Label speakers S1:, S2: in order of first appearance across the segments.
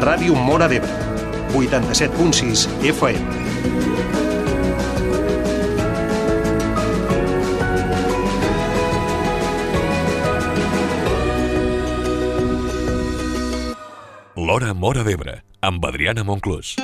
S1: Ràdio Móra d'Ebre, 87.6 FM.
S2: L'Hora Móra d'Ebre, amb Adriana Monclús.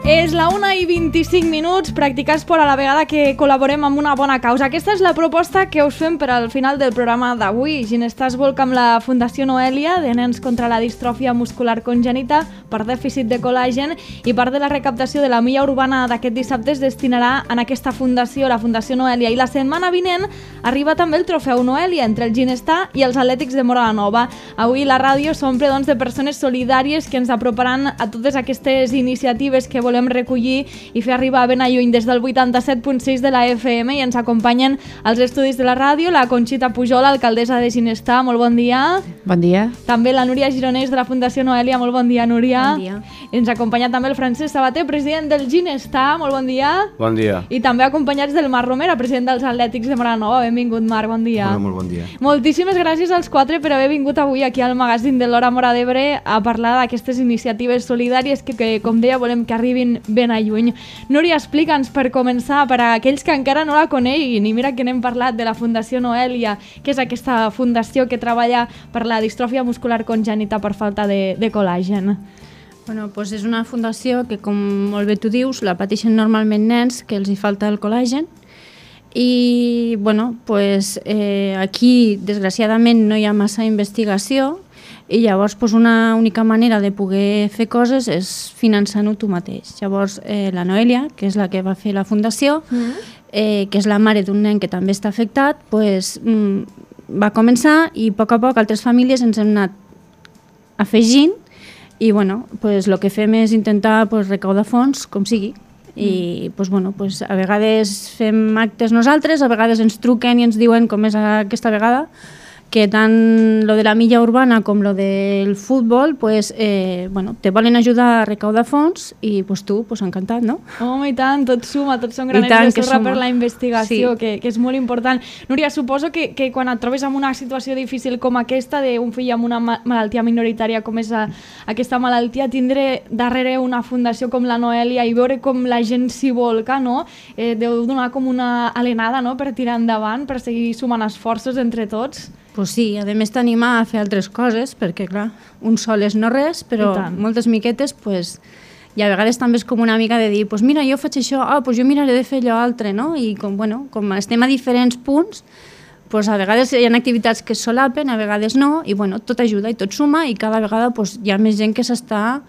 S3: És la 1:25, practicar esport a la vegada que col·laborem amb una bona causa. Aquesta és la proposta que us fem per al final del programa d'avui. Ginestar es volca amb la Fundació Noelia de nens contra la distròfia muscular congènita per dèficit de col·làgen, i part de la recaptació de la milla urbana d'aquest dissabte es destinarà en aquesta fundació, la Fundació Noelia. I la setmana vinent arriba també el trofeu Noelia entre el Ginestar i els Atlètics de Móra la Nova. Avui la ràdio s'omple de persones solidàries que ens aproparan a totes aquestes iniciatives que volem recollir i fer arribar ben a lluny. Des del 87.6 de la FM i ens acompanyen als estudis de la ràdio la Conxita Pujol, alcaldessa de Ginestar. Molt bon dia.
S4: Bon dia.
S3: També la Núria Gironès de la Fundació Noelia. Molt bon dia, Núria.
S4: Bon dia.
S3: Ens acompanya també el Francesc Sabater, president del Ginestar. Molt bon dia.
S5: Bon dia.
S3: I també acompanyats del Marc Romera, president dels Atlètics de Móra la Nova. Benvingut, Marc, bon dia.
S5: Hola, molt bon dia.
S3: Moltíssimes gràcies als quatre per haver vingut avui aquí al magazín de l'Hora Móra d'Ebre a parlar d'aquestes iniciatives solidàries que, com deia, volem que arribin ben a lluny. Núria, explica'ns per començar, per a aquells que encara no la coneguin, i mira que n'hem parlat, de la Fundació Noelia, que és aquesta fundació que treballa per la distròfia muscular congènita per falta de col·làgen.
S4: Bueno, doncs és una fundació que, com molt bé tu dius, la pateixen normalment nens que els hi falta el col·làgen, i bueno, doncs, aquí desgraciadament no hi ha massa investigació, i llavors una única manera de poder fer coses és finançant-ho tu mateix. Llavors la Noelia, que és la que va fer la fundació, que és la mare d'un nen que també està afectat, va començar, i a poc altres famílies ens hem anat afegint, i bueno, el que fem és intentar recaudar fons com sigui. I a vegades fem actes nosaltres, a vegades ens truquen i ens diuen, com és aquesta vegada, que tant lo de la milla urbana com lo del futbol te volen ajudar a recaudar fons, i tu, encantat, no?
S3: Home, i tant, tot suma, tots són granets de sorra per la investigació, sí. que és molt important. Núria, suposo que quan et trobes en una situació difícil com aquesta, d'un fill amb una malaltia minoritària com és aquesta malaltia, tindre darrere una fundació com la Noelia i veure com la gent s'hi volca, no? Deu donar com una alenada, no?, per tirar endavant, per seguir sumant esforços entre tots.
S4: Pues sí, a més t'anima a fer altres coses, perquè clar, un sol és no res, però moltes miquetes, i a vegades també és com una mica de dir, mira, jo faig això, jo miraré de fer allò altre, no? I com estem a diferents punts, a vegades hi ha activitats que es solapen, a vegades no, i tot ajuda i tot suma, i cada vegada hi ha més gent que s'està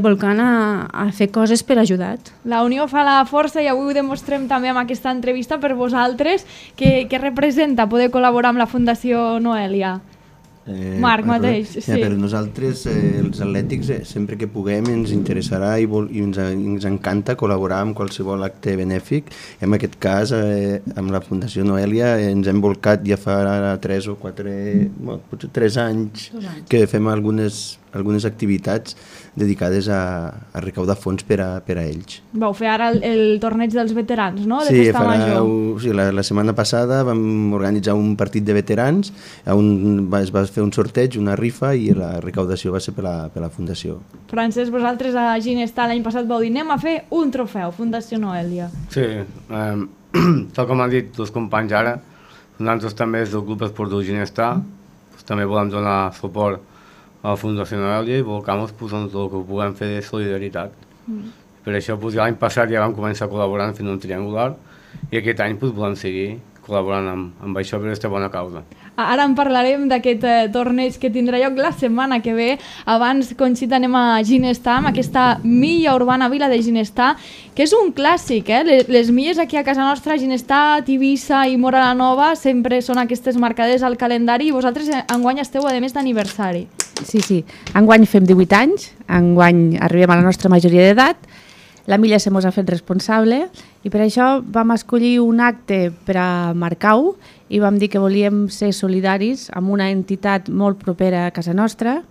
S4: volcant a fer coses per ajudar.
S3: La unió fa la força, i avui ho demostrem també amb aquesta entrevista per vosaltres. Què representa poder col·laborar amb la Fundació Noelia? Marc mateix.
S5: Sí. Per nosaltres, els atlètics, sempre que puguem ens interessarà i ens encanta col·laborar amb qualsevol acte benèfic. En aquest cas, amb la Fundació Noelia ens hem volcat ja fa 3 o 4, potser 3 anys que fem algunes activitats dedicades a recaudar fons per a ells.
S3: Vau fer ara el torneig dels veterans, no? De
S5: Sí,
S3: Festa Major.
S5: Sí, la setmana passada vam organitzar un partit de veterans on es va fer un sorteig, una rifa, i la recaudació va ser per la Fundació.
S3: Francesc, vosaltres a Ginestar l'any passat vau dir anem a fer un trofeu, Fundació Noelia.
S5: Sí, tal com han dit els companys ara, nosaltres també des del Club Esportiu Ginestar també volem donar suport a la Fundació Noelia i volcamos el que puguem fer de solidaritat. Per això l'any passat ja vam començar col·laborant fent un triangular, i aquest any volem seguir col·laborant amb això per aquesta bona causa.
S3: Ara en parlarem d'aquest torneig que tindrà lloc la setmana que ve. Abans, Conxita, anem a Ginestar, amb aquesta milla urbana Vila de Ginestar, que és un clàssic, Les milles aquí a casa nostra, Ginestar, Tivissa i Móra la Nova, sempre són aquestes marcades al calendari, i vosaltres enguany esteu, a més, d'aniversari.
S6: Sí. Enguany fem 18 anys, enguany arribem a la nostra majoria d'edat. la Milla se mos ha fet responsable i per això vam escollir un acte per a Marcau i vam dir que volíem ser solidaris amb una entitat molt propera a casa nostra.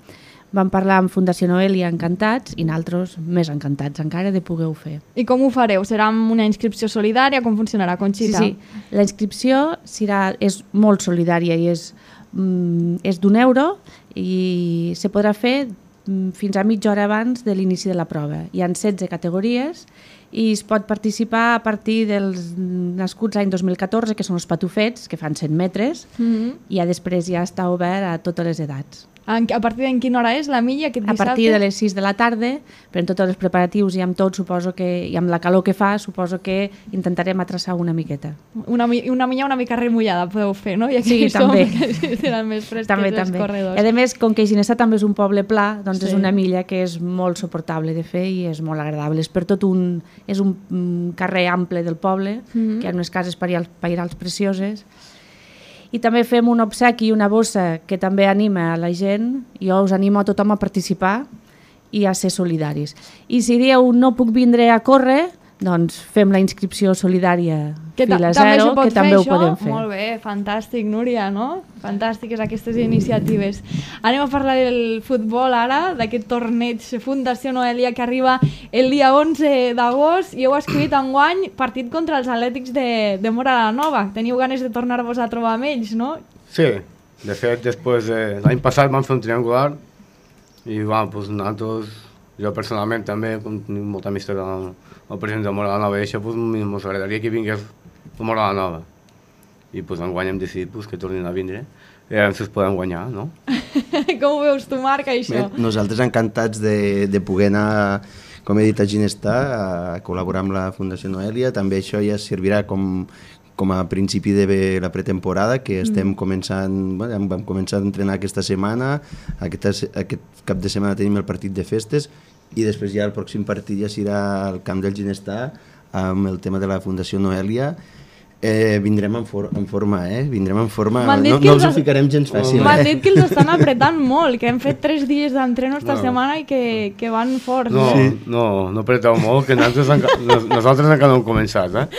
S6: Vam parlar amb Fundació Noelia encantats i nosaltres més encantats encara de poder-ho fer.
S3: I com ho fareu? Serà amb una inscripció solidària? Com funcionarà, Conxita?
S6: Sí. La inscripció és molt solidària i és d'€1 i se podrà fer fins a mitja hora abans de l'inici de la prova. Hi ha 16 categories i es pot participar a partir dels nascuts l'any 2014, que són els patufets, que fan 100 metres, i després ja està obert a totes les edats.
S3: A partir d'en quina hora és la milla aquest dissabte?
S6: A partir de les 6 de la tarda, però en tots els preparatius i amb tot, suposo que, i amb la calor que fa, suposo que intentarem atraçar una miqueta.
S3: Una milla una mica remullada podeu fer, no? Ja que
S6: sí, també.
S3: Seran més fresques
S6: també,
S3: els corredors.
S6: I a més, com que Ginestar també és un poble pla, doncs és una milla que és molt suportable de fer i és molt agradable. És un carrer ample del poble, que hi ha unes cases pairals precioses. I també fem un obsequi i una bossa que també anima a la gent. Jo us animo a tothom a participar i a ser solidaris. I si dieu no puc vindre a córrer, doncs fem la inscripció solidària fila zero, que també ho podem fer.
S3: Molt bé, fantàstic, Núria, no? Fantàstiques aquestes iniciatives. Anem a parlar del futbol ara, d'aquest torneig Fundació Noelia que arriba el dia 11 d'agost i heu escrit enguany partit contra els Atlètics de Móra la Nova. Teniu ganes de tornar-vos a trobar amb ells, no?
S7: Sí, de fet, després l'any passat vam fer un triangular i doncs, nosaltres, jo personalment també, com tenim molta amistat amb el president de Móra la Nova i això, ens agradaria que vingués a Móra la Nova. I enguany hem decidit que tornin a vindre i ara ens podem guanyar, no?
S3: Com ho veus tu, Marc, això?
S5: Bé, nosaltres encantats de poder anar, com he dit, a Ginestar, a col·laborar amb la Fundació Noelia. També això ja servirà com a principi de la pretemporada, que estem començant, vam començar a entrenar aquesta setmana, aquest cap de setmana tenim el partit de festes i després ja el pròxim partit ja serà al camp del Ginestar amb el tema de la Fundació Noelia. Vindrem en forma, vindrem en forma, no us ho ficarem gens fàcil.
S3: M'han dit que els estan apretant molt, que hem fet 3 dies d'entreno esta setmana i que van forts.
S7: No apreteu molt, que nosaltres encara no hem començat,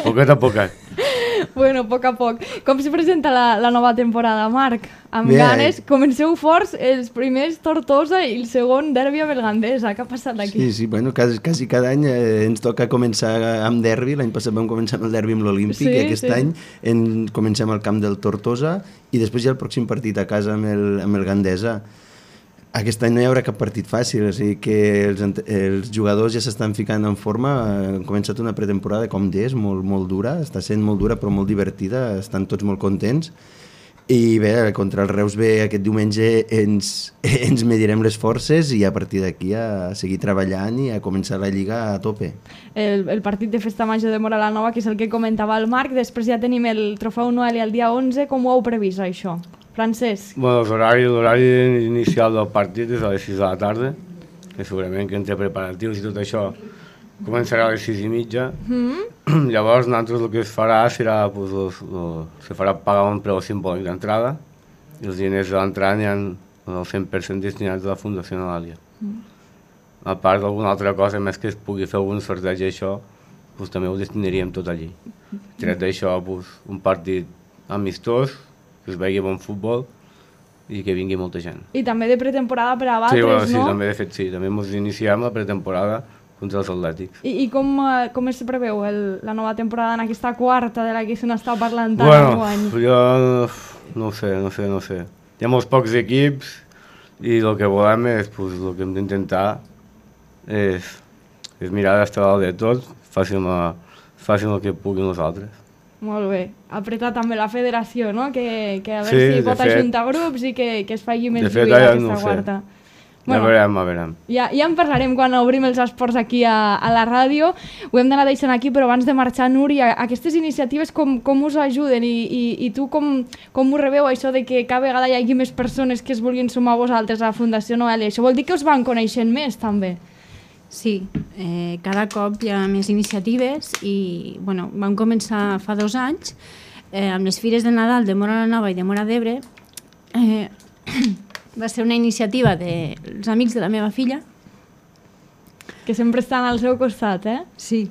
S7: poquet a poquet.
S3: Bueno, a poc. Com se presenta la nova temporada, Marc? Amb ganes, comenceu forts, els primers Tortosa i el segon derbi a Belgandesa. Què ha passat aquí?
S5: Sí, bueno, quasi cada any ens toca començar amb derbi. L'any passat vam començar amb el derbi amb l'Olímpic i aquest any comencem al camp del Tortosa i després ja el pròxim partit a casa amb el Gandesa. Aquest any no hi haurà cap partit fàcil, o sigui que els jugadors ja s'estan ficant en forma. Han començat una pretemporada, com deies, molt dura, està sent molt dura però molt divertida, estan tots molt contents. I bé, contra el Reus B aquest diumenge ens medirem les forces i a partir d'aquí a seguir treballant i a començar la Lliga a tope.
S3: El partit de Festa Major de Móra la Nova, que és el que comentava el Marc, després ja tenim el Trofeu Noelia el dia 11, com ho heu previst això? Francesc?
S7: Bueno, l'horari inicial del partit és a les 6 de la tarda, que segurament que entre preparatius i tot això començarà a les 6:30. Llavors, nosaltres el que es farà serà, se farà pagar un preu simbòlic d'entrada i els diners de l'entrada aniran el 100% destinats a la Fundació Noelia. A part d'alguna altra cosa, més que es pugui fer algun sorteig i això, també ho destinaríem tot allí. Tret d'això, un partit amistós, que es vegi bon futbol i que vingui molta gent.
S3: I també de pretemporada per a Batres,
S7: no?
S3: No?
S7: També, de fet, sí. També ens iniciem la pretemporada contra els Atlètics.
S3: I com es preveu la nova temporada en aquesta quarta de la que se n'està parlant tant enguany?
S7: Jo no ho sé. Hi ha molts pocs equips i el que volem és, el que hem d'intentar és mirar d'estar dalt de tot, facin el que puguin nosaltres.
S3: Molt bé. Apretar també la federació, no? Que a veure si pot ajuntar grups i que es faci més lluita aquesta quarta.
S7: Ja veurem.
S3: Ja en parlarem quan obrim els esports aquí a la ràdio. Ho hem d'anar deixant aquí, però abans de marxar, Núria, aquestes iniciatives com us ajuden i tu com ho rebeu, això de que cada vegada hi hagi més persones que es vulguin sumar a vosaltres a la Fundació Noelia? Això vol dir que us van coneixent més, també?
S4: Sí, cada cop hi ha més iniciatives i vam començar fa 2 anys amb les Fires de Nadal de Móra la Nova i de Móra d'Ebre. Va ser una iniciativa dels amics de la meva filla
S3: que sempre estan al seu costat,
S4: Sí.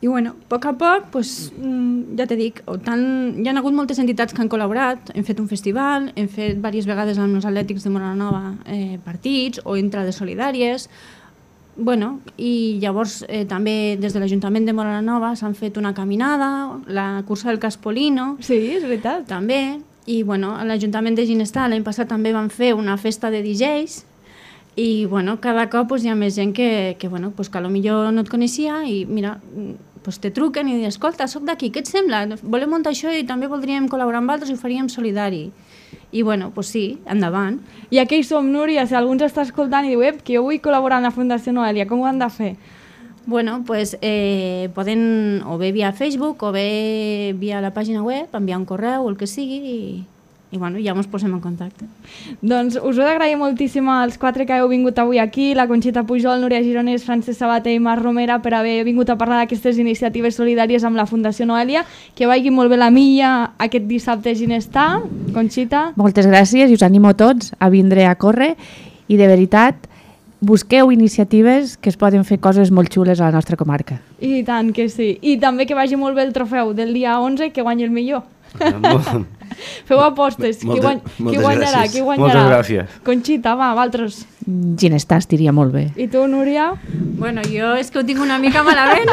S4: I bueno, a poc, pues, ja te dic, hi ha hagut moltes entitats que han col·laborat, hem fet un festival, hem fet diverses vegades amb els atlètics de Móra-la-Nova partits o entrades solidàries, bueno, i llavors també des de l'Ajuntament de Móra-la-Nova s'han fet una caminada, la cursa del Caspolino,
S3: sí, és veritat,
S4: també, i bueno, a l'Ajuntament de Ginestar l'any passat també van fer una festa de DJs, i bueno, cada cop pues, hi ha més gent que bueno, pues, que potser no et coneixia i mira, pues, te truquen i diuen, escolta, soc d'aquí, què et sembla? Volem muntar això i també voldríem col·laborar amb altres i ho faríem solidari. I bueno, pues sí, endavant.
S3: I aquí hi som, Núria, si algú ens està escoltant i diu que jo vull col·laborar amb la Fundació Noelia, com ho han de fer?
S4: Bueno, pues poden o bé via Facebook o bé via la pàgina web, enviar un correu o el que sigui i bueno, ja ens posem en contacte.
S3: Doncs us ho d'agrair moltíssim als 4 que heu vingut avui aquí, la Conxita Pujol, Núria Gironès, Francesc Sabater i Marc Romera, per haver vingut a parlar d'aquestes iniciatives solidàries amb la Fundació Noelia. Que vagi molt bé la milla aquest dissabte a Ginestar. Conxita.
S6: Moltes gràcies i us animo a tots a vindre a córrer i de veritat busqueu iniciatives que es poden fer coses molt xules a la nostra comarca.
S3: I tant que sí. I també que vagi molt bé el trofeu del dia 11, que guanyi el millor. Feu apostes. Qui guanyarà?
S7: Moltes gràcies.
S3: Conxita, va, vosaltres.
S6: Ginestar estiria molt bé.
S3: I tu, Núria?
S4: Bueno, jo és que ho tinc una mica malament.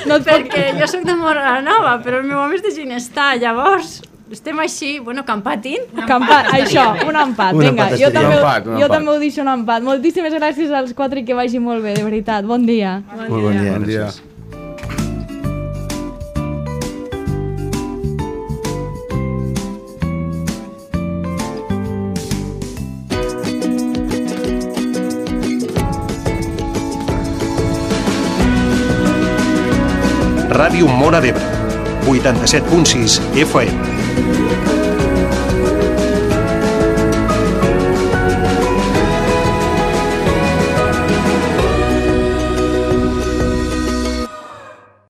S3: No
S4: perquè jo soc de Móra-la-Nova, però el meu home és de Ginestar, llavors estem així, bueno, que empatin.
S3: Això, un empat. Vinga, jo també ho deixo un empat. Moltíssimes gràcies als 4 i que vagi molt bé, de veritat. Bon dia.
S5: Molt bon dia.
S7: Bon dia.
S1: Ràdio Móra d'Ebre, 87.6 FM.